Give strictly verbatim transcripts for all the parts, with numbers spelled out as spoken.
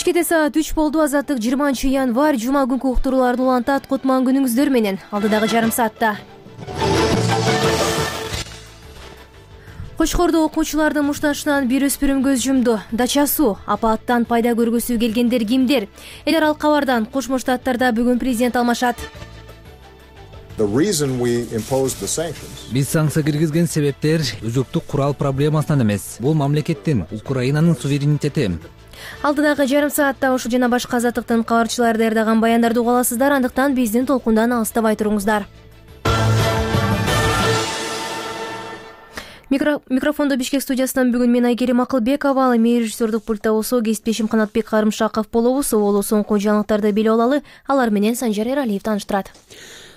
Кечкеде саат үч болду. Азаттык жыйырманчы январь жума күнкү уктурууларды улантат. Кутман күнүңүздөр менен. Алдыдагы жарым саатта Кочкордо окуучулардын мушташынан бир өспүрүм көз жумду. Дача суу апааттан пайда көргүсү келгендер кимдер? Эл аралык кабардан Кошмо Штаттарда бүгүн президент алмашат. Биз санкция киргизген себептер өзөктүк курал проблемасынан эмес. Бул мамлекеттин, Украинанын суверенитети. Алдыдагы жарым саатта ушул жана башка азаттыктын кабарчылары даярдаган баяндарды уга аласыздар. Андыктан биздин толкундан алыстабай туруңуздар. Микрофондо Бишкек студиясынан бүгүн мен Айгерим Акылбекова, ал эми режиссердук пультта болсо кесиптешим Канатбек Карымшаков болобуз. Боло соңку жаңылыктарды билип алалы. Алар менен Санжар Эралиев тааныштырат.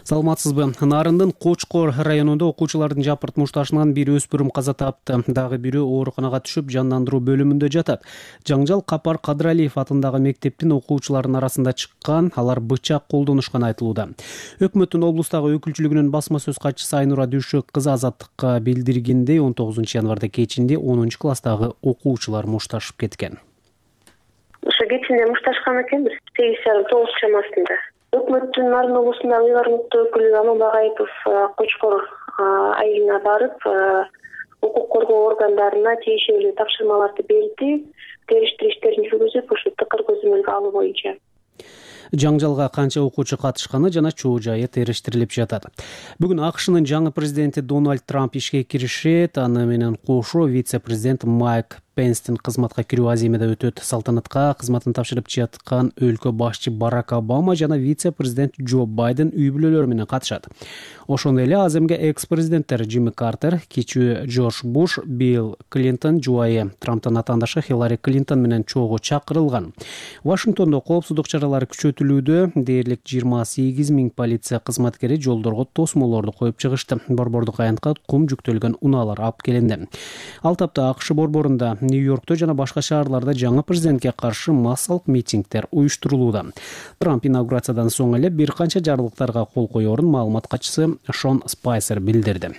Саламатсызбы? Нарындын Кочкор районунда окуучулардын жапырт мушташынан бир өспүрүм каза тапты. Дагы бирөө ооруканага түшүп, жандандыруу бөлүмүндө жатат. Жаңжал Капар Кадралиев атындагы мектептин окуучуларынын арасында чыккан, алар бычак колдонушкан айтылууда. Өкмөттүн облустагы өкүлчүлүгүнүн басма сөз катчысы Айнура Дүйшөк кызы Азаттыкка билдиргендей, он тогузунчу январда кечинде онунчу класстагы окуучулар мушташып кеткен. Ошо кечинде мушташкан экенбиз, сегиз жарым тогуз чамасында. Өкмөттүн Нарын облусундагы ыйгарымдуу өкүлү Аман Багаипов Кочкор айылына барып, укук коргоо органдарына тиешелүү тапшырмаларды берди, териштирүү иштерин жүргүзүп, ушу тыкыр көзөмөлгө алуу боюнча. Жаңжалга канча окуучу катышканы жана чоо жайы териштирилип жатат. Бүгүн АКШнын жаңы президенти Дональд Трамп ишке киришет. Аны менен кошо вице-президент Майк Пенстин кызматка кирүү аземеде өтөт. Салтанатка кызматын тапшырып жаткан өлкө башчы Барак Обама жана вице-президент Джо Байден үй бүлөлөрү менен катышат. Ошондой эле аземге экс-президенттер Джимми Картер, кичүү Джордж Буш, Билл Клинтон, жубайы Трамптын атаандашы Хиллари Клинтон менен чоого чакырылган. Вашингтондо коопсуздук чаралары күчөтүлүүдө. Дээрлик жыйырма сегиз миң полиция кызматкери жолдорго тосмолорду коюп чыгышты. Борбордук аянтка кум жүктөлгөн унаалар алып келинди. Ал тапта АКШ борборунда, Нью-Йоркто жана башка шаарларда жаңы президентке каршы массалык митингдер уюштурулууда. Трамп инаугурациядан соң эле бир канча жарлыктарга кол коерун маалымат катчысы Шон Спайсер билдирди.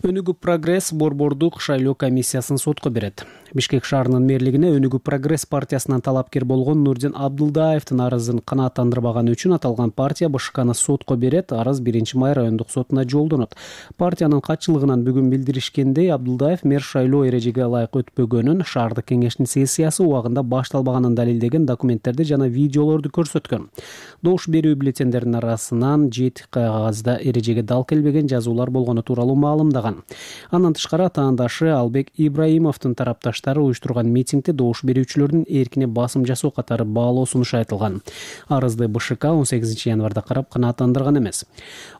Өнүгүү Прогресс борбордук шайлоо комиссиясын сотко берет. Бишкек шаарынын мэрлигине Өнүгүү Прогресс партиясынан талапкер болгон Нурдин Абдулдаевдин арызын канааттандырбаганы үчүн аталган партия БШКны сотко берет. Арыз биринчи май райондук сотуна жолдонот. Партиянын катчылыгынан бүгүн билдиришкендей, Абдулдаев мэр шайлоо эрежеге ылайык өтпөгөнүн, шаардык кеңештин сессиясы убагында башталбаганын далилдеген документтерди жана видеолорду көрсөткөн. Добуш берүү бюллетендеринин арасынан жети кагазда эрежеге дал келбеген жазуулар болгону тууралуу маалымдаган. Андан тышкары атаандашы Албек Ибраимовдун тарапташтары уюштурган митингде добуш берүүчүлөрдүн эркине басым жасоо катары баалоо сунушу айтылган. Арызды БШК он сегизинчи январда карап канааттандырган эмес.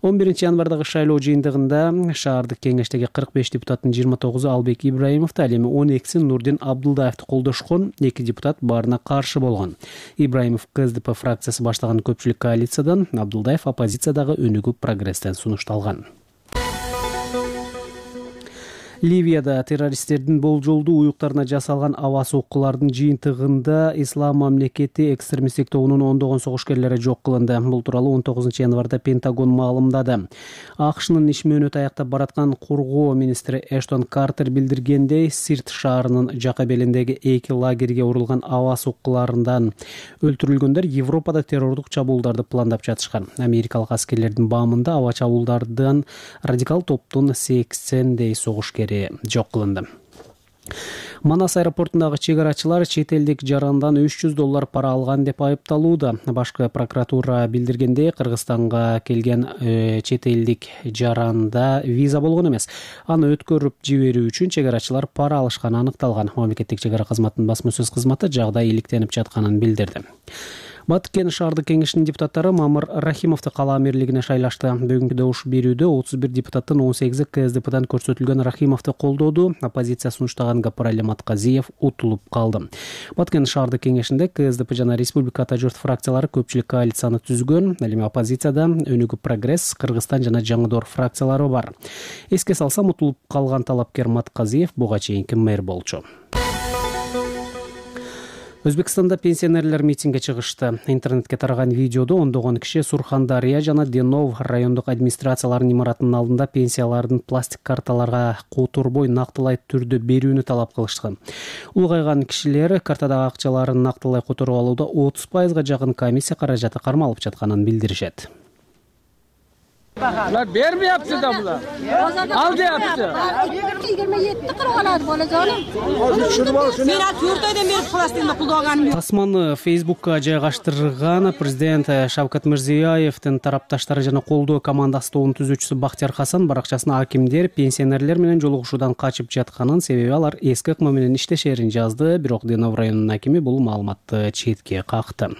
он биринчи январдагы шайлоо жыйынтыгында шаардык кеңештеги кырк беш депутаттын жыйырма тогузу Албек Ибраимовду, ал эми он экиси Нурдин Абдулдаевди колдошкон, эки депутат баарына каршы болгон. Ибраимов КСДП фракциясы баштаган көпчүлүк коалициядан, Абдулдаев оппозициядагы Өнүгүү Прогресстен сунушталган. Ливияда террористтердин болжолдуу уюктарына жасалган аба соккулардын жыйынтыгында Ислам мамлекети экстремисттик тобунун ондогон согушкерлери жок кылынды. Бул тууралуу он тогузунчу январда Пентагон маалымдады. АКШнын иш мөөнөтү аяктап бараткан коргоо министри Эштон Картер билдиргендей, Сирт шаарынын жака белиндеги эки лагерге урулган аба соккуларынан өлтүрүлгөндөр Европада террордук чабуулдарды пландап жатышкан. Америкалык аскерлердин баамында аба чабуулдардан радикал топтун сексендей согушкер жок кылынды. Манас аэропортундагы чек арачылар чет элдик жарандан үч жүз доллар пара алган деп айыпталууда. Башкы прокуратура билдиргендей, Кыргызстанга келген э, чет элдик жаранда виза болгон эмес. Аны өткөрүп жиберүү үчүн чек арачылар пара алышканы аныкталган. Мамлекеттик чек ара кызматынын басма сөз кызматы жагдай иликтенип жатканын билдирди. Баткен шаардык кеңешинин депутаттары Мамыр Рахимовду кала мээрлигине шайлашты. Бүгүнкү добуш берүүдө отуз бир депутаттын он сегизи КСДПдан көрсөтүлгөн Рахимовду колдоду. Оппозиция сунуштаган Гапарали Матказиев утулуп калды. Баткен шаардык кеңешинде КСДП жана Республика Ата журт фракциялары көпчүлүк коалицияны түзгөн. Ал эми оппозицияда Өнүгүү Прогресс, Кыргызстан жана Жаңыдор фракциялары бар. Эске салсам, утулуп калган талапкер Матказиев буга чейинки мэр болчу. Өзбекстанда пенсионерлер митингге чыгышты. Интернетке тараган видеодо ондогон киши Сурхандария жана Денов райондук администрацияларынын имаратынын алдында пенсиялардын пластик карталарга которбой нактылай түрдө берүүнү талап кылышкан. Улгайган кишилер картадагы акчаларын нактылай которуп алууда отуз пайызга жакын комиссия каражаты кармалып жатканын билдиришет. Ular bermeyapti da bular. Al deyapti. yigirma yetti qirq oladi bolajonim. Men to'rt oydan beri plastikni pul olganim yo'q. Тасманы Facebook'ка жайгаштырган президент Шавкат Мирзиёевдин тарапташтары жана колдоо командасы тобунун түзүүчүсү Бактияр Хасан баракчасына акимдер пенсионерлер менен жолугушуудан качып жатканын, себеби алар эски ыкма менен иштешерин жазды, бирок Денов районунун акими бул маалыматты четке какты.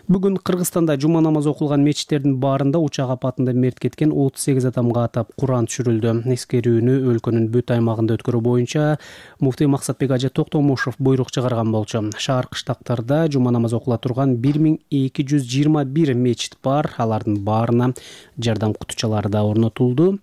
Бүгүн Кыргызстанда жума намазы окулган мечиттердин баарында учак апатында мерт кеткен отуз сегиз адамга атап Куран түшүрүлдү. Эскерүүнү өлкөнүн бүт аймагында өткөрүү боюнча муфтий Максатбек Ажы Токтомушев буйрук чыгарган болчу. Шаар кыштактарда жума намазы окула турган бир миң эки жүз жыйырма бир мечит бар. Алардын баарына жардам кутучалары да орнотулду.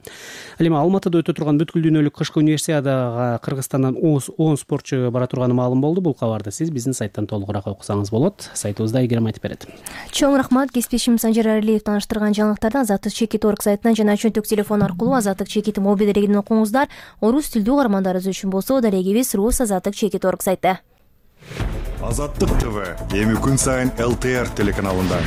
Ал эми Алматыда өтө турган бүткүл дүйнөлүк кышкы универсиадага Кыргызстандан он спортчу бара турганы маалым болду. Бул кабарды сиз биздин сайттан толугураак окусаңыз болот. Сайтыбызда Айгерим айтып берет. Чоң рахмат. Кесиптешим Санжар Аралиев таныштырган жаңылыктарды Азаттык чекит точка орг сайтынан жана чөнтөк телефон аркылуу Азаттык чекит мобиль дарегинен окуңуздар. Орус тилдүү угармандарыбыз үчүн болсо дарегибиз Рус Азаттык чекит точка орг сайты. Азаттык ТВ эми күн сайын эл тэ эр телеканалында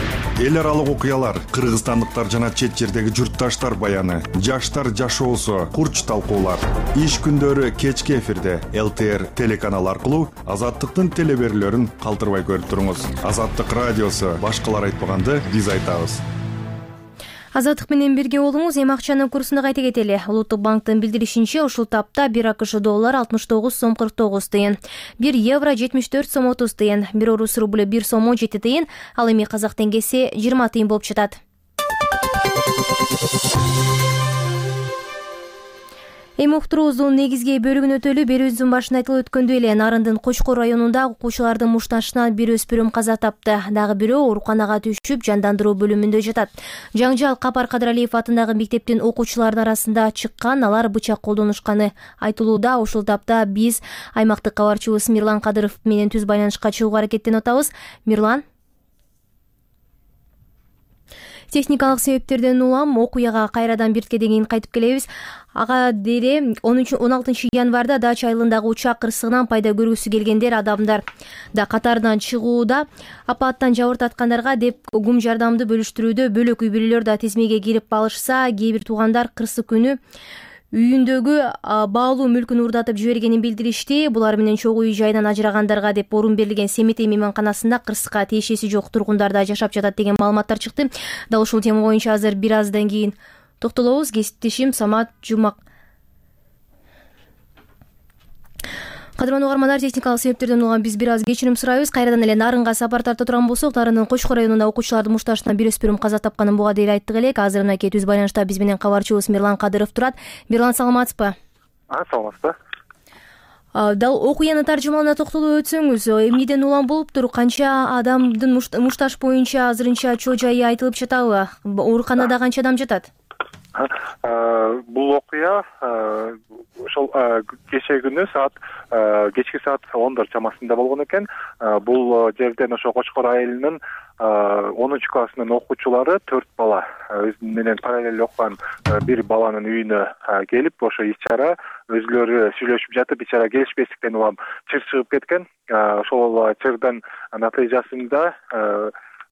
эл аралык окуялар, кыргызстандыктар жана чет жердеги журтташтар баяны, жаштар жашоосу, курч талкуулар. Иш күндөрү кечки эфирде эл тэ эр телеканалы аркылуу Азаттыктын телеберүүлөрүн калтырбай көрүп туруңуз. Азаттык радиосу башкалар айтпаганды биз айтабыз. Азаттык менен бирге болуңуз. Эми акчанын курсуна кайта кетели. Улуттук банктын билдиришинче, ушул тапта бир АКШ доллар алтымыш тогуз сом кырк тогуз тыйын, бир евро жетимиш төрт сом отуз тыйын, бир орус рубль бир сом он жети тыйын, ал эми казак теңгеси жыйырма тыйын болуп жатат. Эми уктуруубуздун негизги бөлүгүн өтөлү. Берүүбүздүн башында айтылып өткөндөй эле Нарындын Кочкор районунда окуучулардын мушташынан бир өспүрүм каза тапты. Дагы бирөө ооруканага түшүп, жандандыруу бөлүмүндө жатат. Жаңжал Капар Кадыралиев атындагы мектептин окуучуларынын арасында чыккан, алар бычак колдонушканы айтылууда. Ушул тапта биз аймактык кабарчыбыз Мирлан Кадыров менен түз байланышка чыгууга аракеттенип атабыз. Мирлан, техникалык себептерден улам окуяга кайрадан биртке деген кайтып келебиз. Ага дере он алтынчы январда Дача айылындагы учак кырсыгынан пайда көргүсү келгендер адамдар да катарынан чыгууда. Апаттан жабыртаткандарга деп гум жардамды бөлүштүрүүдө бөлөк үй бүлөлөр да тизмеге кирип алышса, кээ бир туугандар кырсык күнү үйүндөгү баалуу мүлкүн уурдатып жибергенин билдиришти. Булар менен чогуу үй жайынан ажырагандарга деп орун берилген Семетей мейманканасында кырсыкка тиешеси жок тургундар да жашап жатат деген маалыматтар чыкты. Дал ушул тема боюнча азыр бир аздан кийин токтолобуз. Кесиптешим Самат Жумак. Кадырман угармандар, техникалык себептерден улам биз бир аз кечирим сурайбыз. Кайрадан эле Нарынга сапар тарта турган болсок, Нарындын Кочкор районунда окуучулардын мушташынан бир өспүрүм каза тапканын буга дейин айттык элек. Азыр мынакей түз байланышта биз менен кабарчыбыз Мирлан Кадыров турат. Мирлан, саламатсызбы? А, саламатсызбы. Дал окуяны таржымалына токтолуп өтсөңүз, эмнеден улам болуптур? Канча адамдын мушташ боюнча азырынча чоо жайы айтылып жатабы? Ооруканада канча адам жатат? Бул окуя ошол кечээ күнү саат кечки саат ондор чамасында болгон экен. Бул жерден ошо Кочкор айылынын онунчу классынын окуучулары төрт бала өзү менен параллель окуган бир баланын үйүнө келип, ошо ич чара өзүлөрү сүйлөшүп жатып, ич чара келишпестиктен улам чыр чыгып кеткен. Ошол чырдын натыйжасында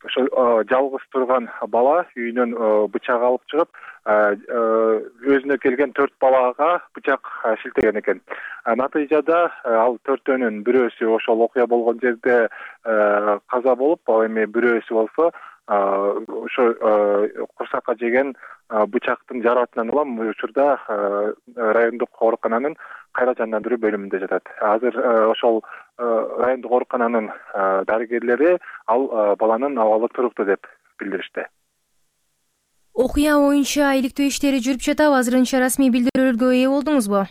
ошо жалгыз турган бала үйүнөн бычак алып чыгып, өзүнө келген төрт балага бычак шилтеген экен. Натыйжада ал төртөөнүн бирөөсү ошол окуя болгон жерде каза болуп, ал эми бирөөсү болсо ошо курсакка жеген бычактын жаратынан улам учурда райондук оорукананын кайра жандандыруу бөлүмүндө жатат. Азыр ошол райондук оорукананын дарыгерлери ал баланын абалы туруктуу деп билдиришти. Окуя боюнча иликтөө иштери жүрүп жатабы? Азырынча расмий билдирүүлөргө ээ болдуңузбу?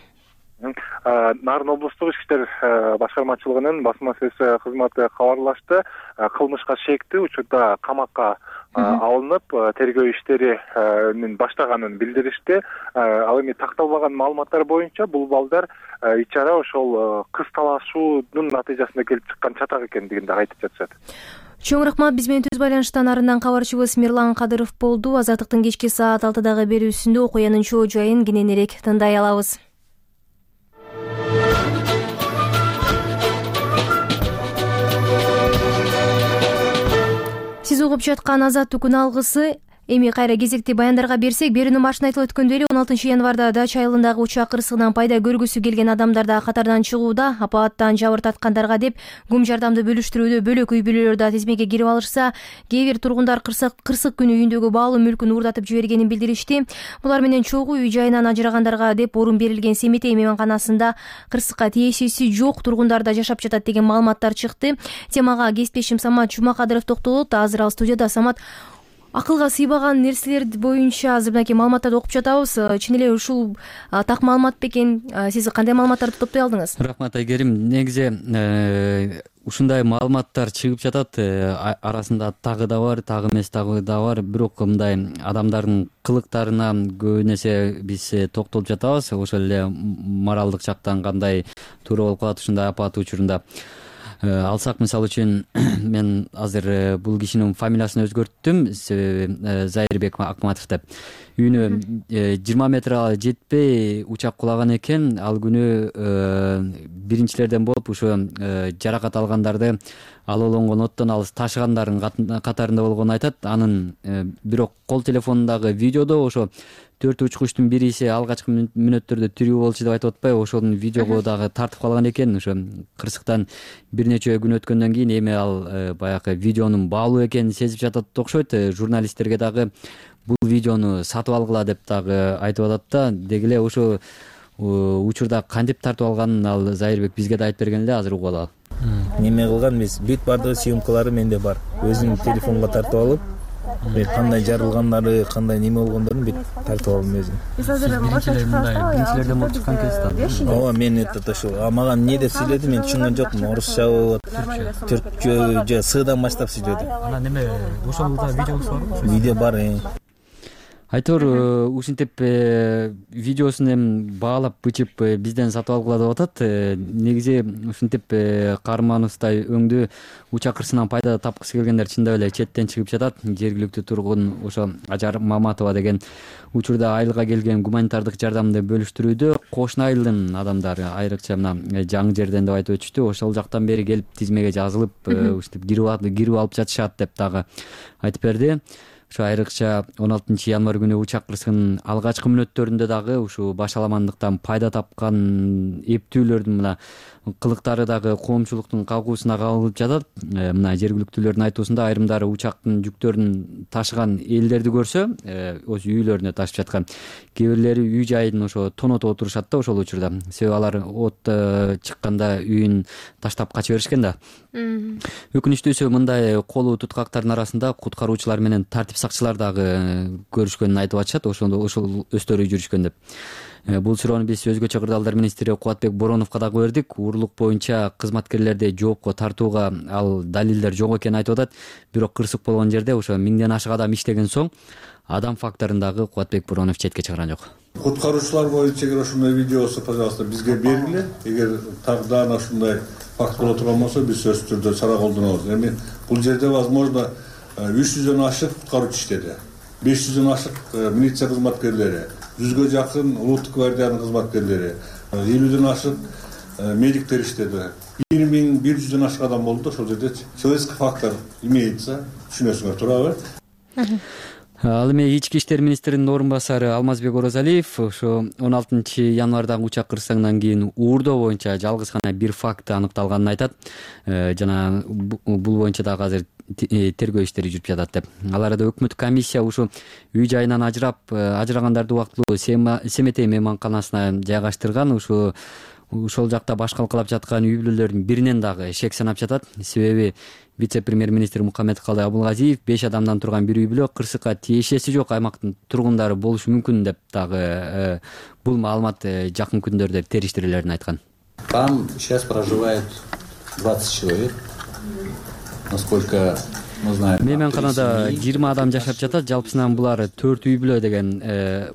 Нарын облустук ички иштер башкармачылыгынын басма сөз кызматы кабарлашты. Кылмышка шектүү учурда камакка алынып тергөө иштерин баштаганын билдиришти. Ал эми такталбаган маалыматтар боюнча бул балдар ичара ошол кыз талашуунун натыйжасында келип чыккан чатак экендигин да айтып жатышат. Чоң рахмат. Биз менен түз байланыштан арындан кабарчыбыз Мирлан Кадыров болду. Азаттыктын кечки саат алтыдагы берүүсүндө окуянын чоо жайын кененирээк тындай алабыз. Сиз угуп жаткан Азаттыктын алгысы. Эми кайра кезекти баяндарга берсек, берүүнүн башында айтылып өткөндөй эле он алтынчы январда Дача айылындагы учак кырсыгынан пайда көргүсү келген адамдарда катардан чыгууда, апаттан жабыр таткандарга деп гум жардамды бөлүштүрүүдө бөлөк үй бүлөлөр да тизмеге кирип алышса, кээ бир тургундар кырсык кырсык күнү үйүндөгү баалуу мүлкүн уурдатып жибергенин билдиришти. Булар менен чогуу үй жайынан ажырагандарга деп орун берилген Семетей мейманканасында кырсыкка тиешеси жок тургундар да жашап жатат деген маалыматтар чыкты. Темага кесиптешим Самат Жумакадыров токтолот. Азыр ал студияда. Самат, акылга сыйбаган нерселер боюнча азыр мынакей маалыматтарды окуп жатабыз. Чын эле ушул так маалымат бекен? Сиз кандай маалыматтарды топтой алдыңыз? Рахмат Айгерим. Негизи ушундай маалыматтар чыгып жатат. Арасында тагы да бар, тагы эмес тагы да бар. Бирок мындай адамдардын кылыктарына көбүн эсе биз токтолуп жатабыз. Ошол эле моралдык жактан кандай туура болуп калат ушундай апат учурунда. Алсак, мисалы үчүн мен азыр бул кишинин фамилиясын өзгөрттүм. Себеби Зайырбек Акматов деп. Үйүнө жыйырма метр жетпей учак кулаган экен. Ал күнү биринчилерден болуп ошо жаракат алгандарды алоолонгон оттон алыс ташыгандардын катарында болгонун айтат. Анын бирок кол телефонундагы видеодо ошо төрт учкучтун бириси алгачкы мүнөттөрдө тирүү болчу деп айтып атпайбы, ошонун видеого дагы тартып калган экен. Ошо кырсыктан бир нече күн өткөндөн кийин эми ал баягы видеонун баалуу экенин сезип жатат окшойт. Журналисттерге дагы бул видеону сатып алгыла деп дагы айтып атат да. Деги эле ошо учурда кантип тартып алганын ал Зайырбек бизге да айтып берген эле, азыр угуп алалы. Неме кылган эмес, бүт бардыгы съемкалары менде бар. Өзүм телефонго тартып алып, кандай жарылгандары, кандай неме болгондорун бүт тартып алдым өзүм. Биз азыр биринчилерден болуп чыккан кезде. Ооба, мен это ошо мага эмне деп сүйлөдү, мен түшүнгөн жокмун. Орусчабы, түркчө же сыдан баштап сүйлөдү. Анан неме ошол да видеосу барбы? Видео бар. Айтор ушинтип видеосун эми баалап бычып бизден сатып алгыла деп атат. Негизи ушинтип каарманыбыздай өңдү учак кырсынан пайда тапкысы келгендер чындап эле четтен чыгып жатат. Жергиликтүү тургун ошо Ажар Маматова деген учурда айылга келген гуманитардык жардамды бөлүштүрүүдө кошуна айылдын адамдары, айрыкча мына жаңы жерден деп айтып өтүштү. Ошол жактан бери келип тизмеге жазылып ушинтип кирип алып жатышат деп дагы айтып берди. Ошо айрыкча он алтынчы январ күнү учак кырсыгынын алгачкы мүнөттөрүндө дагы ушул башаламандыктан пайда тапкан эптүүлөрдүн мына кылыктары дагы коомчулуктун кагуусуна кабылып жатат. Мына жергиликтүүлөрдүн айтуусунда айрымдары учактын жүктөрүн ташыган элдерди көрсө, өз үйлөрүнө ташып жаткан, кээ бирлери үй жайын ошо тонотуп отурушат да ошол учурда. Себеби алар от чыкканда үйүн таштап кача беришкен да. Өкүнүчтүүсү мындай колу туткактардын арасында куткаруучулар менен тартип сакчылар дагы көрүшкөнүн айтып атышат. Ошондо ошол өстөрү жүрүшкөн деп. Бул суроону биз өзгөчө кырдаалдар министри Кубатбек Бороновго дагы бердик. Уурулук боюнча кызматкерлерди жоопко тартууга ал далилдер жок экенин айтып атат. Бирок кырсык болгон жерде ошо миңден ашык адам иштеген соң адам факторун дагы Кубатбек Боронов четке чыгарган жок. Куткаруучулар боюнча эгер ошондой видеосу, пожалуйста, бизге бергиле. Эгер тагдана ошондой факт боло турган болсо, биз сөзсүз түрдө чара колдонобуз. Эми бул жерде возможно үч жүздөн ашык куткаруучу иштеди. беш жүздөн ашык милиция кызматкерлери, жүзгө жакын улуттук гвардиянын кызматкерлери, элүүдөн ашык медиктер иштеди. бир миң бир жүздөн ашык адам болду. Ошол жерде человеческий фактор имеется. Түшүнөсүңөр туурабы? Ал эми ички иштер министринин орун басары Алмазбек Оразалиев ошо он алтынчы январдагы учак кырсыгынан кийин уурдоо боюнча жалгыз гана бир факт аныкталганын айтат. Жана бул боюнча дагы азыр тергөө иштери жүрүп жатат деп. Ал арада өкмөттүк комиссия ушу үй жайынан ажырап ажырагандарды убактылуу Семетей мейманканасына жайгаштырган. Ушу ошол жакта баш калкалап жаткан үй бүлөлөрдүн биринен дагы шек санап жатат. Себеби вице-премьер министр Мухаммедкалый Абулгазиев беш адамдан турган бир үй бүлө кырсыкка тиешеси жок аймактын тургундары болушу мүмкүн деп дагы бул маалымат жакын күндөрдө териштирилерин айткан. Там сейчас проживает двадцать человек, насколько мы знаем. Мейманканада жыйырма адам жашап жатат. Жалпысынан булар төрт үй бүлө деген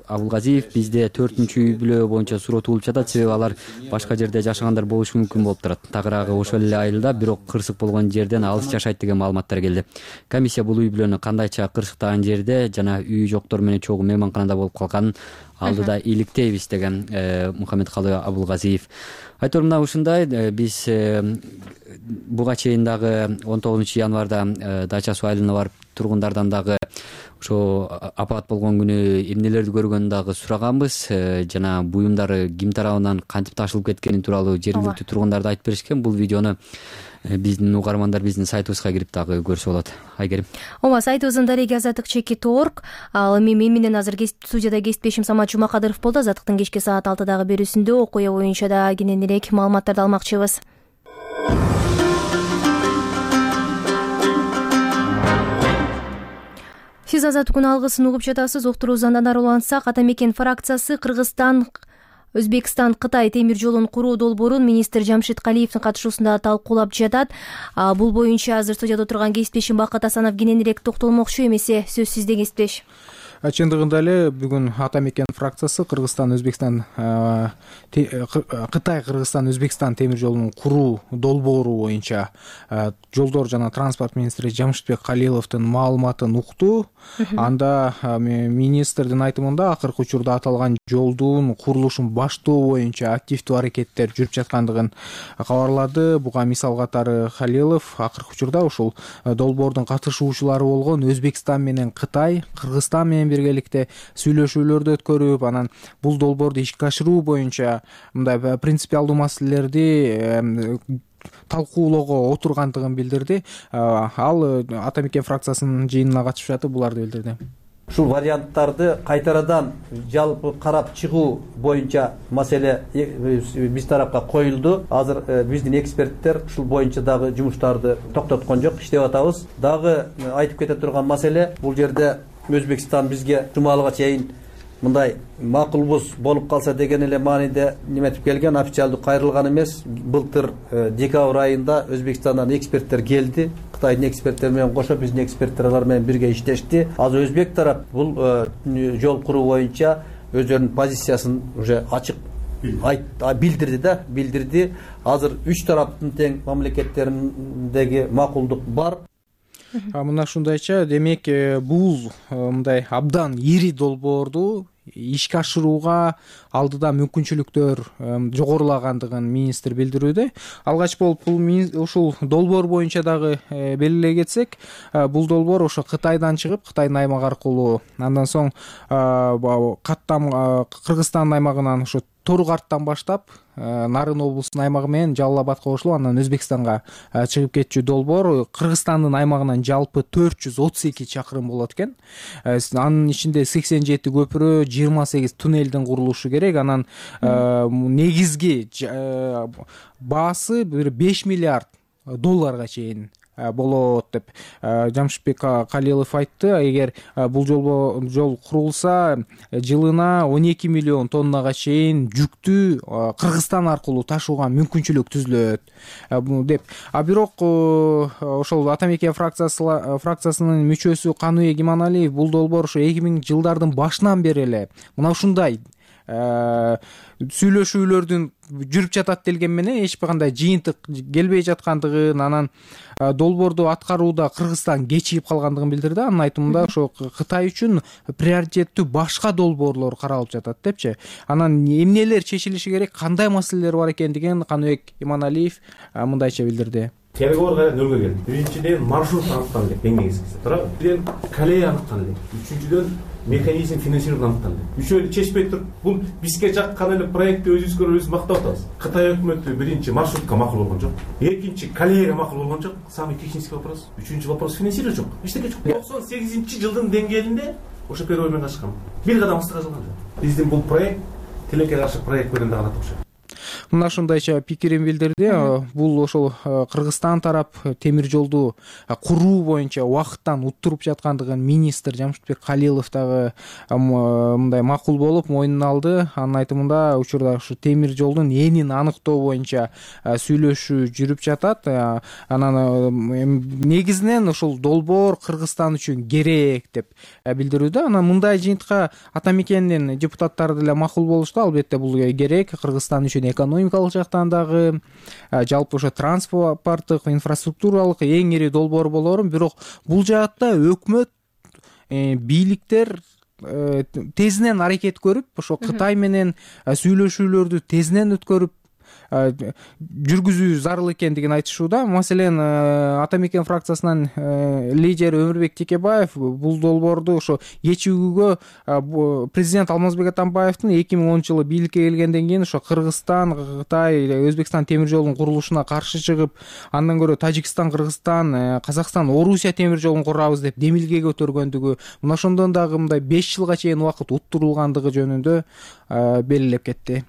Абулгазиев. Бизде төртүнчү үй бүлө боюнча суротулуп жатат, себеби алар башка жерде жашагандар болушу мүмкүн болуп турат. Тагыраагы ошол эле айылда, бирок кырсык болгон жерден алыс жашайт деген маалыматтар келди. Комиссия бул үй бүлөнү кандайча кырсыктаган жерде жана үй жоктор менен чогуу мейманканада болуп калганын алдыда иликтейбиз деген Мухаммедкалый Абулгазиев. Айтор мына ушундай, биз буга чейин дагы он тогузунчу январда Дача суу айылына барып тургундардан дагы ошо апат болгон күнү эмнелерди көргөнүн дагы сураганбыз. Жана буюмдары ким тарабынан кантип ташылып кеткени тууралуу жергиликтүү тургундар да айтып беришкен. Бул видеону биздин угармандар биздин сайтыбызга кирип дагы көрсө болот. Айгерим. Ооба, сайтыбыздын дареги азаттык чекит орг. Ал эми мен менен азыр студияда кесиптешим Самат Жумакадыров болду. Азаттыктын кечки саат алтыдагы берүүсүндө окуя боюнча да кененирээк маалыматтарды алмакчыбыз. Сиз азаттыктын алгысын угуп жатасыз. Уктуруубуздан ары улантсак, Ата мекен фракциясы Кыргызстан Өзбекстан Кытай темир жолун куруу долбоорун министр Жамшит Калиевдин катышуусунда талкуулап жатат. Бул боюнча азыр студияда отурган кесиптешим Бакыт Асанов кененирээк токтолмокчу. Эмесе сөз сизде, кесиптеш. Чындыгында эле бүгүн Ата мекен фракциясы Кыргызстан Өзбекстан Кытай Кыргызстан Өзбекстан темир жолунун куруу долбоору боюнча жолдор жана транспорт министри Жамшитбек Калиловдун маалыматын укту. Анда министрдин айтымында акыркы учурда аталган жолдун курулушун баштоо боюнча активдүү аракеттер жүрүп жаткандыгын кабарлады. Буга мисал катары Калилов акыркы учурда ушул долбоордун катышуучулары болгон Өзбекстан менен Кытай, Кыргызстан менен биргеликте сүйлөшүүлөрдү өткөрүп, анан бул долбоорду ишке ашыруу боюнча мындай принципиалдуу маселелерди талкуулоого отургандыгын билдирди. Ал Ата мекен фракциясынын жыйынына катышып жатып буларды билдирди. Ушул варианттарды кайтарадан жалпы карап чыгуу боюнча маселе биз тарапка коюлду. Азыр биздин эксперттер ушул боюнча дагы жумуштарды токтоткон жок, иштеп атабыз. Дагы айтып кете турган маселе, бул жерде Өзбекстан бизге жумалыга чейин мындай макулбуз болуп калса деген эле мааниде неметип келген, официалдуу кайрылган эмес. Былтыр декабрь айында Өзбекстандан эксперттер келди. Кытайдын эксперттери менен кошо биздин эксперттер алар менен бирге иштешти. Азыр Өзбек тарап бул жол куруу боюнча өздөрүнүн позициясын уже ачык билдирди да, билдирди. Азыр үч тараптын тең мамлекеттериндеги макулдук бар. Мына ушундайча, демек бул мындай абдан ири долбоорду ишке ашырууга алдыда мүмкүнчүлүктөр жогорулагандыгын министр билдирүүдө. Алгач болуп бул ушул долбоор боюнча дагы белгилей кетсек, бул долбоор ошо Кытайдан чыгып, Кытайдын аймагы аркылуу, андан соң каттам Кыргызстандын аймагынан ошо Торук арттан баштап Нарын облусунун аймагы менен Жалал Абадка кошулуп, андан Өзбекстанга чыгып кетчү долбоор. Кыргызстандын аймагынан жалпы төрт жүз отуз эки чакырым болот экен. Анын ичинде сексен жети көпүрө, жыйырма сегиз туннелдин курулушу керек. Анан негизги баасы бир беш миллиард долларга чейин болот деп Жамшитбек Калилов айтты. Эгер бул жол курулса, жылына он эки миллион тоннага чейин жүктү Кыргызстан аркылуу ташууга мүмкүнчүлүк түзүлөт деп. А бирок ошол Ата мекен фракциясынын мүчөсү Каныбек Иманалиев бул долбоор ошо эки миңинчи жылдардын башынан бери эле мына ушундай сүйлөшүүлөрдүн жүрүп жатат делген менен эч кандай жыйынтык келбей жаткандыгын, анан долбоорду аткарууда Кыргызстан кечигип калгандыгын билдирди. Анын айтымында ошо Кытай үчүн приоритеттүү башка долбоорлор каралып жатат депчи. Анан эмнелер чечилиши керек, кандай маселелер бар экендигин Каныбек Иманалиев мындайча билдирди. Переговорга нөлгө келди. Биринчиден маршрут аныкталды, эң негизгиси. Туурабы? Бирден колея аныкталды. Үчүнчүдөн механизм финансирования аныкталды. Үчөөнү чечпей туруп, бул бизге жаккан эле проектти өзүбүзгө өзүбүз мактап атабыз. Кытай өкмөтү биринчи маршрутка макул болгон жок. Экинчи колеяга макул болгон жок. Самый технический вопрос. Үчүнчү вопрос финансирование жок. Эчтеке жок. токсон сегизинчи жылдын деңгээлинде ошо переговормен качкан. Бир кадам астыга калган жок. Биздин бул проект тилекке каршы проект менен дагы окшойт. мына ушундайча пикирин билдирди. Бул ошол Кыргызстан тарап темир жолду куруу боюнча убакыттан уттуруп жаткандыгын министр Жамшитбек Калилов дагы мындай макул болуп мойнуна алды. Анын айтымында учурда ушу темир жолдун энин аныктоо боюнча сүйлөшүү жүрүп жатат. Анан негизинен ушул долбоор Кыргызстан үчүн керек деп билдирүүдө. Анан мындай жыйынтыкка ата мекендин депутаттары деле макул болушту. Албетте бул керек Кыргызстан үчүн экономикалык жактан дагы, жалпы ошо транспорттук, инфраструктуралык эң ири долбоор болоорун. Бирок бул жаатта өкмөт, бийликтер тезинен аракет көрүп, ошо Кытай менен сүйлөшүүлөрдү тезинен өткөрүп жүргүзүү зарыл экендигин айтышууда. Маселен, ата мекен фракциясынын лидери Өмүрбек Текебаев бул долбоорду ошо кечүүгө президент Алмазбек Атамбаевдин эки миң онунчу жылы бийликке келгенден кийин ошо Кыргызстан, Кытай, Өзбекстан темир жолунун курулушуна каршы чыгып, андан көрө Тажикстан, Кыргызстан, Казакстан, Орусия темир жолун курабыз деп демилге көтөргөндүгү, мына ошондон дагы мындай беш жылга чейин убакыт уттурулгандыгы жөнүндө белгилеп кетти.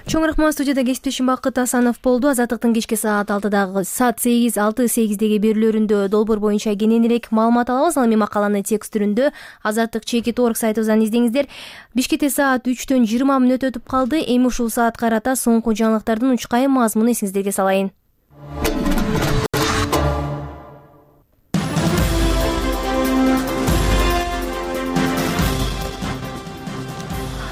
Чоң рахмат. Студияда кесиптешим Бакыт Асанов болду. Азаттыктын кечки саат алтыдагы саат сегиз алты сегиздеги берүүлөрүндө долбоор боюнча кененирээк маалымат алабыз. Ал эми макаланы текст түрүндө азаттык чекит орг сайтыбыздан издеңиздер. Бишкекте саат үчтөн жыйырма мүнөт өтүп калды. Эми ушул саатка карата соңку жаңылыктардын учкайым мазмунун эсиңиздерге салайын.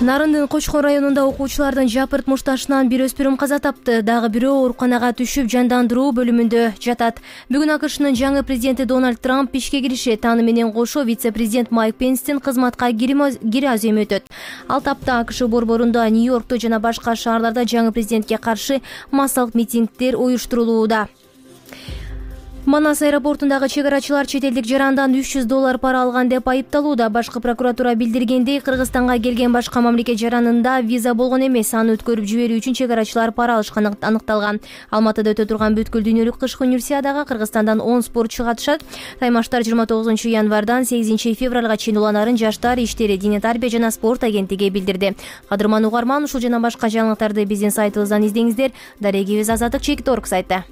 Нарындын Кочкон районунда окуучулардын жапырт мушташынан бир өспүрүм каза тапты. Дагы бирөө ооруканага түшүп жандандыруу бөлүмүндө жатат. Бүгүн АКШнын жаңы президенти Дональд Трамп ишке киришет. Аны менен кошо вице-президент Майк Пенстин кызматка кире аземи өтөт. Ал тапта АКШ борборунда, Нью-Йоркто жана башка шаарларда жаңы президентке каршы массалык митингдер уюштурулууда. Манас аэропортундагы чек арачылар чет элдик жарандан үч жүз доллар пара алган деп айыпталууда. Башкы прокуратура билдиргендей, Кыргызстанга келген башка мамлекет жаранында виза болгон эмес. Аны өткөрүп жиберүү үчүн чек арачылар пара алышканы аныкталган. Алматыда өтө турган бүткүл дүйнөлүк кышкы универсиадага Кыргызстандан он спортчу катышат. Таймаштар жыйырма тогузунчу январдан сегизинчи февралга чейин уланарын Жаштар иштери, дене тарбия жана спорт агенттиги билдирди. Кадырман угарман, ушул жана башка жаңылыктарды биздин сайтыбыздан издеңиздер. Дарегибиз азаттык чекит орг сайты.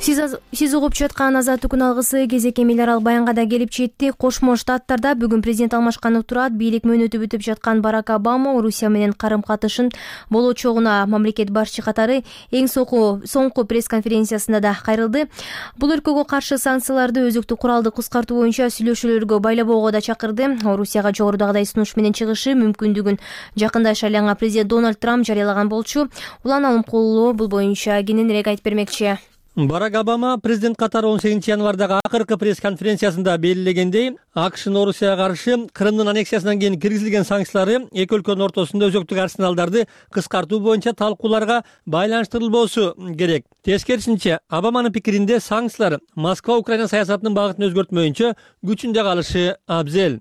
Сиз угуп жаткан азаттыктын алгысы кезекке миллиард баянга да келип жетти. Кошмо Штаттарда бүгүн президент алмашканып турат. Бийлик мөөнөтү бүтүп жаткан Барак Обама Орусия менен карым-катышын болочогуна мамлекет башчы катары эң соңку пресс-конференциясында да кайрылды. Бул өлкөгө каршы санкцияларды өзүктүү куралды кыскартуу боюнча сүйлөшүүлөргө байлабоого да чакырды. Орусияга жогорудагыдай сунуш менен чыгышы мүмкүндүгүн жакында шайланган президент Дональд Трамп жарыялаган болчу. Улан Алымкулова бул боюнча кененирээк айтып бермекчи. Барак Обама президент катары он сегизинчи январдагы акыркы пресс-конференциясында белгилегендей, АКШнын Орусияга каршы Крымдын аннексиясынан кийин киргизилген санкциялары эки өлкөнүн ортосунда өзөктүк арсеналдарды кыскартуу боюнча талкууларга байланыштырылбоосу керек. Тескерисинче, Обаманын пикиринде санкциялар Москва Украина саясатынын багытын өзгөртмөйүнчө күчүндө калышы абзел.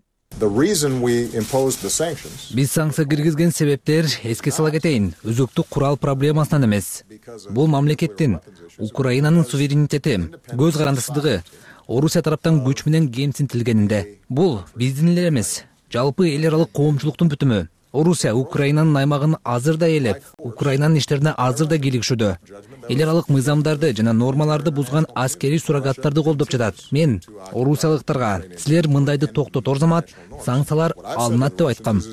Биз санкция киргизген себептер, эске сала кетейин, өзөктүк курал проблемасынан эмес. Бул мамлекеттин, Украинанын суверенитети, көз карандысыздыгы, Орусия тараптан күч менен кемсинтилгенинде. Бул биздин эле эмес, жалпы эл аралык коомчулуктун бүтүмү. Орусия Украинанын аймагын азыр да ээлеп, Украинанын иштерине азыр да кийлигишүүдө. Эл аралык мыйзамдарды жана нормаларды бузган аскерий суррогаттарды колдоп жатат. Мен орусиялыктарга силер мындайды токтотор замат санкциялар алынат деп айткам.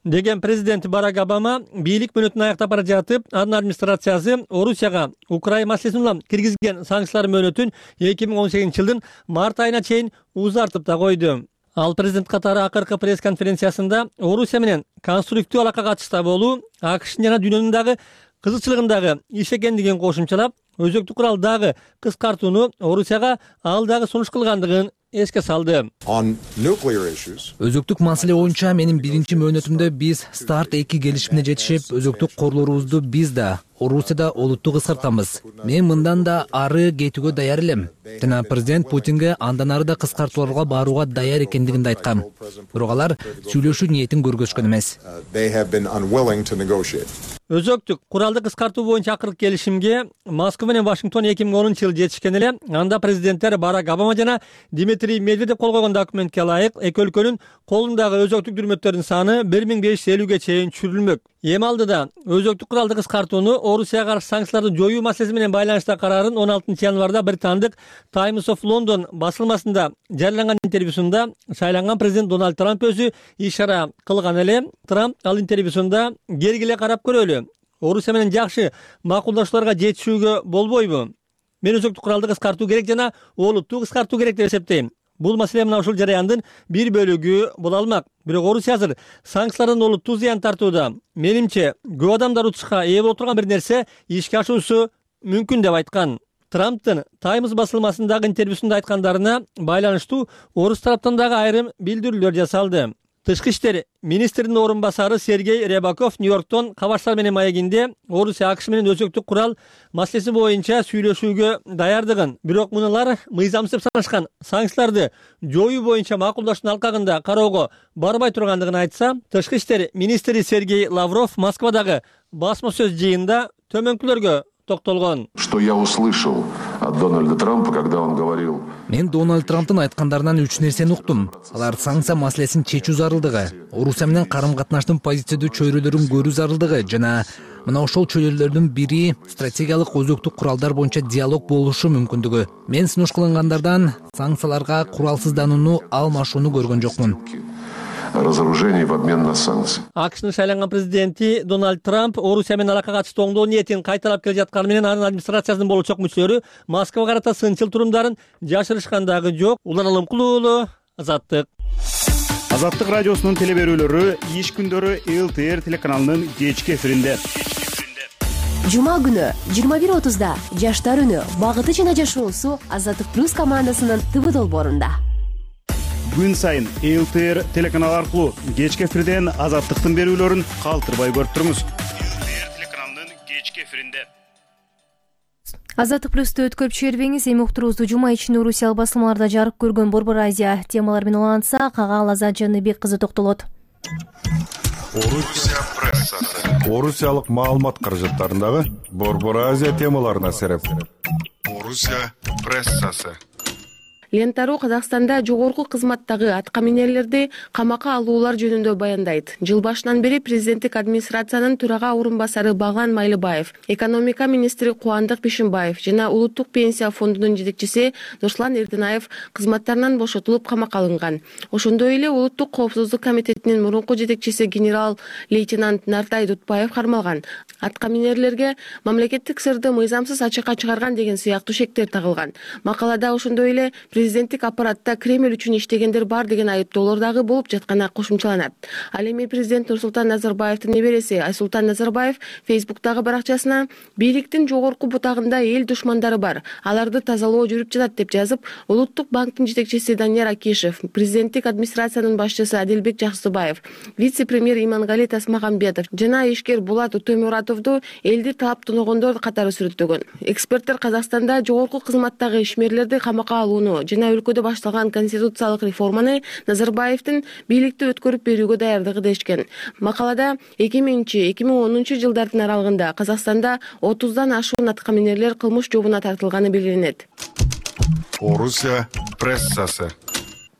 Деген президент Барак Обама бийлик мөөнөтүн аяктап бара жатып, анын администрациясы Орусияга Украина маселесин улам киргизген санкциялар мөөнөтүн эки миң он сегизинчи жылдын март айына чейин узартып да койду. Ал президент катары акыркы пресс-конференциясында Орусия менен конструктив алакага чыкса болуу АКШнын жана дүйнөнүн дагы кызыкчылыгындагы иш экендигин кошумчалап, өзөктүк курал дагы кыскартууну Орусияга ал дагы сунуш кылгандыгын эске салды. Өзөктүк маселе боюнча менин биринчи мөөнөтүмдө биз старт эки келишимине жетишип, өзөктүк корлорубузду биз да, Орусияда олутту кыскартабыз. Мен мындан да ары кетүүгө даяр элем. Жана президент Путинге андан ары да кыскартууларга барууга даяр экендигин да айткам. Бирок алар сүйлөшүү ниетин көргөзгөн эмес. Өзөктүк куралды кыскартуу боюнча акыркы келишимге Москва менен Вашингтон эки миң онунчу жылы жетишкен эле. Анда президенттер Барак Обама жана Дмитрий Медведев кол койгон документке ылайык эки өлкөнүн колундагы өзөктүк дүрмөттөрдүн саны бир миң беш жүз элүүгө чейин түшүрүлмөк. Эми алдыда өзөктүк куралды кыскартууну Орусияга каршы санкцияларды жоюу маселеси менен байланыштагы карарын он алтынчы январда британдык Times of London басылмасында жарыяланган интервьюсунда шайланган президент Дональд Трамп өзү ишара кылган эле. Трамп ал интервьюсунда кергиле карап көрөлү. Орусия менен жакшы макулдашууларга жетишүүгө болбойбу? Мен өзөктүк куралды кыскартуу керек жана олуттуу кыскартуу керек деп эсептейм. Бул маселе мына ушул жараяндын бир бөлүгү боло алмак. Бирок Орусия азыр санкциялардан олуттуу зыян тартууда. Менимче, көп адамдар утушка ээ болуп турган бир нерсе ишке ашуусу мүмкүн деп айткан. Трамптын Times басылмасындагы интервьюсунда айткандарына байланыштуу орус тараптан дагы айрым билдирүүлөр жасалды. Тышкы иштер министринин орун басары Сергей Рябаков Нью-Йорктон кабарчылар менен маегинде Орусия АКШ менен өзөктүк курал маселеси боюнча сүйлөшүүгө даярдыгын, бирок мунулар мыйзамсыз деп санашкан санкцияларды жоюу боюнча макулдашуунун алкагында кароого барбай тургандыгын айтса, тышкы иштер министри Сергей Лавров Москвадагы басма сөз жыйынында төмөнкүлөргө токтолгон. Что я услышал от Дональда Трампа, когда он говорил... Мен Дональд Трамптын айткандарынан үч нерсени уктум. Алар санкция маселесин чечүү зарылдыгы, Орусия менен карым-катнаштын позициядуу чөйрөлөрүн көрүү зарылдыгы жана мына ошол чөйрөлөрдүн бири стратегиялык өзөктүк куралдар боюнча диалог болушу мүмкүндүгү. Мен сунуш кылынгандардан санкцияларга куралсызданууну алмашууну көргөн жокмун. Разоружение в обмен на санкции. АКШнын шайланган президенти Дональд Трамп Орусия менен алакка катыштуу оңдоо ниетин кайталап келе жатканы менен анын администрациясынын болочок мүчөлөрү Москвага карата сынчыл турумдарын жашырышкан дагы жок. Улан Алымкулуу, Азаттык. Азаттык радиосунун теле берүүлөрү иш күндөрү ЛТР телеканалынын кечки эфиринде. Жума күнү жыйырма бир отузда Жаштар үнү багыты жана жашоосу Азаттык плюс командасынын ТВ долбоорунда. Күн сайын ЛТР телеканалы аркылуу кечки эфирден Азаттыктын берүүлөрүн калтырбай көрүп туруңуз. ЛТР телеканалынын кечки эфиринде. Азаттык плюсту өткөрүп жибербеңиз. Эми уктуруубузду жума ичинде орусиялык басылмаларда жарык көргөн Борбор Азия темалары менен улантсак, ага Азат Жаныбек кызы токтолот. Орусия прессасы. Орусиялык маалымат каражаттарындагы Борбор Азия темаларына сереп. Орусия прессасы. Лента.ру Казакстанда жогорку кызматтагы аткаминерлерди камакка алуулар жөнүндө баяндайт. Жыл башынан бери президенттик администрациянын төрага орун басары Баглан Майлыбаев, экономика министри Кубандык Бишимбаев жана улуттук пенсия фондунун жетекчиси Нурсулан Эрдинаев кызматтарынан бошотулуп камакка алынган. Ошондой эле улуттук коопсуздук комитетинин мурунку жетекчиси генерал-лейтенант Нартай Дутбаев кармалган. Аткаминерлерге мамлекеттик сырды мыйзамсыз ачыкка чыгарган деген сыяктуу шектер тагылган. Макалада ошондой эле президенттик аппаратта Кремль үчүн иштегендер бар деген айыптоолор дагы болуп жатканы кошумчаланат. Ал эми президент Нурсултан Назарбаевдин небереси Айсултан Назарбаев Фейсбуктагы баракчасына бийликтин жогорку бутагында эл душмандары бар, аларды тазалоо жүрүп жатат деп жазып, Улуттук банктын жетекчиси Данияр Акишев, президенттик администрациянын башчысы Адилбек Жаксыбаев, вице-премьер Имангали Тасмагамбетов жана ишкер Булат Өтөмуратовду элди таап тоногондор катары сүрөттөгөн. Эксперттер Казакстанда жогорку кызматтагы ишмерлерди камакка алууну жана өлкөдө башталган конституциялык реформаны Назарбаевдин бийликти өткөрүп берүүгө даярдыгы дешкен. Макалада эки миңинчи эки миң онунчу жылдардын аралыгында Казакстанда отуздан ашуун аткаминерлер кылмыш жобуна тартылганы белгиленет. Орусия прессасы.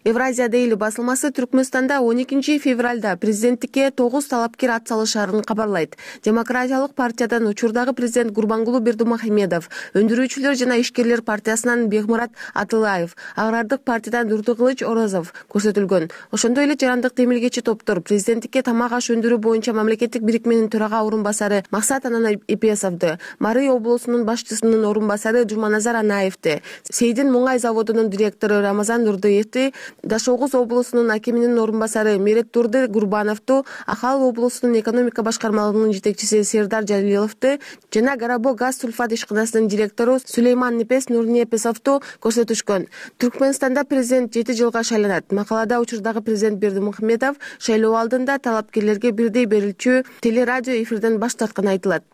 Евразия Дейли басылмасы Түркмөнстанда он экинчи февралда президенттикке тогуз талапкер ат салышарын кабарлайт. Демократиялык партиядан учурдагы президент Гурбангулу Бердымухамедов, өндүрүүчүлөр жана ишкерлер партиясынан Бекмурат Атылаев, Агрардык партиядан Дурдукылыч Орозов көрсөтүлгөн. Ошондой эле жарандык демилгечи топтор президенттикке тамак аш өндүрүү боюнча мамлекеттик бирикменин төрага орун басары Максат Анан Эпесовду, Марый облусунун башчысынын орун басары Жуманазар Анаевди, Сейдин Муңай заводунун директору Рамазан Нурдыевди, Дашогуз облусунун акиминин орун басары Мереттурды Гурбановду, Ахал облусунун экономика башкармалыгынын жетекчиси Сердар Жалиловду жана Гарабо газ сульфат ишканасынын директору Сулейман Непес Нурнепесовду көрсөтүшкөн. Түркмөнстанда президент жети жылга шайланат. Макалада учурдагы президент Бердымухамедов шайлоо алдында талапкерлерге бирдей берилчү телерадио эфирден баш тартканы айтылат.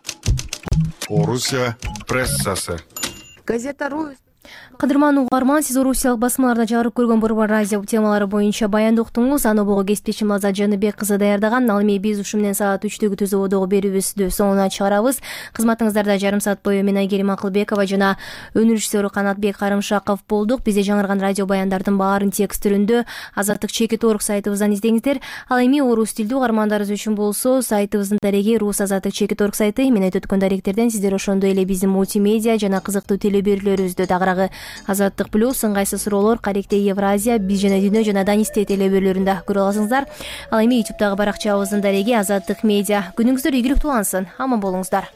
Орусия прессасы. Газета.ру. Кадырман угарман, сиз орусиялык басмаларда жарык көргөн Борбор Азия темалары боюнча баянды уктуңуз. Аны бого кесиптешим Азат Жаныбек кызы даярдаган. Ал эми биз ушу менен саат үчтөгү түз ободогу берүүбүздү соңуна чыгарабыз. Кызматыңыздарда жарым саат бою мен Айгерим Акылбекова жана өнөр режиссеру Канатбек Карымшаков болдук. Бизде жаңырган радио баяндардын баарын текст түрүндө азаттык чекит орг сайтыбыздан издеңиздер. Ал эми орус тилдүү угармандарыбыз үчүн болсо сайтыбыздын дареги рус азаттык чекит орг сайты. Мен айтып өткөн даректерден сиздер ошондой эле биздин мультимедиа жана кызыктуу телеберүүлөрүбүздө дагыраагы Азаттык плюс, ыңгайсыз суроолор, Каректе Евразия, Биз жана Дүйнө жана Данисте телеберүүлөрүндө көрө аласыңыздар. Ал эми ютубтагы баракчабыздын дареги Азаттык медиа. Күнүңүздөр ийгиликтүү улансын. Аман болуңуздар.